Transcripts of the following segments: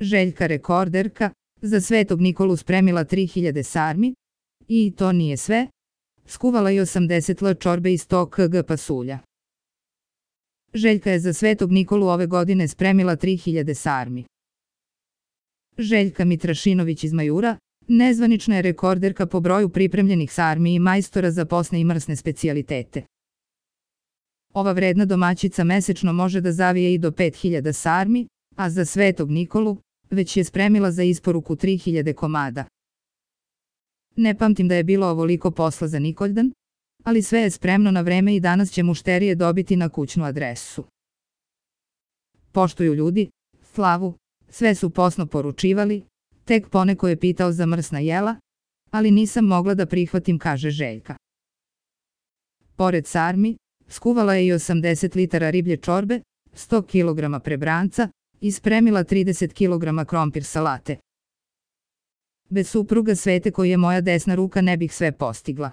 Željka rekorderka, za Svetog Nikolu spremila 3000 sarmi. I to nije sve. Skuvala i 80 l čorbe iz 100 kg pasulja. Željka je za Svetog Nikolu ove godine spremila 3000 sarmi. Željka Mitrašinović iz Majura, nezvanična je rekorderka po broju pripremljenih sarmi i majstora za posne i mrsne specijalitete. Ova vredna domaćica mesečno može da zavije i do 5000 sarmi, a za Svetog Nikolu već je spremila za isporuku 3000 komada. Ne pamtim da je bilo ovoliko posla za Nikoldan, ali sve je spremno na vreme i danas će mušterije dobiti na kućnu adresu. Poštuju ljudi slavu, sve su posno poručivali, tek poneko je pitao za mrsna jela, ali nisam mogla da prihvatim, kaže Željka. Pored sarmi, skuvala je i 80 litara riblje čorbe, 100 kg prebranca i spremila 30 kg krompir salate. Bez supruga Svete koji je moja desna ruka ne bih sve postigla.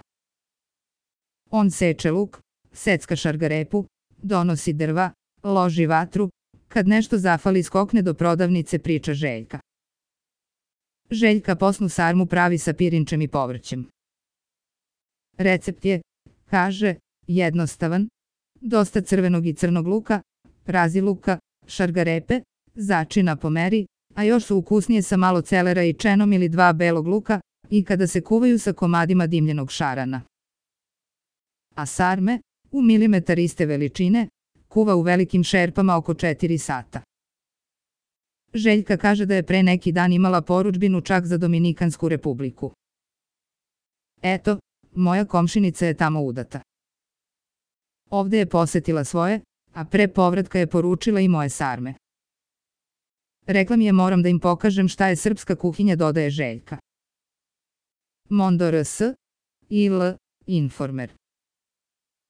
On seče luk, secka šargarepu, donosi drva, loži vatru, kad nešto zafali skokne do prodavnice, priča Željka. Željka posnu sarmu pravi sa pirinčem i povrćem. Recept je, kaže, jednostavan, dosta crvenog i crnog luka, raziluka, šargarepe, začina po meri, a još su ukusnije sa malo celera i čenom ili 2 belog luka, i kada se kuvaju sa komadima dimljenog šarana. A sarme, u milimetar iste veličine, kuva u velikim šerpama oko 4 sata. Željka kaže da je pre neki dan imala porudžbinu čak za Dominikansku republiku. Eto, moja komšinica je tamo udata. Ovde je posetila svoje, a pre povratka je poručila i moje sarme. Rekla mi je moram da im pokažem šta je srpska kuhinja, dodaje Željka. Mondo RS, IL, Informer.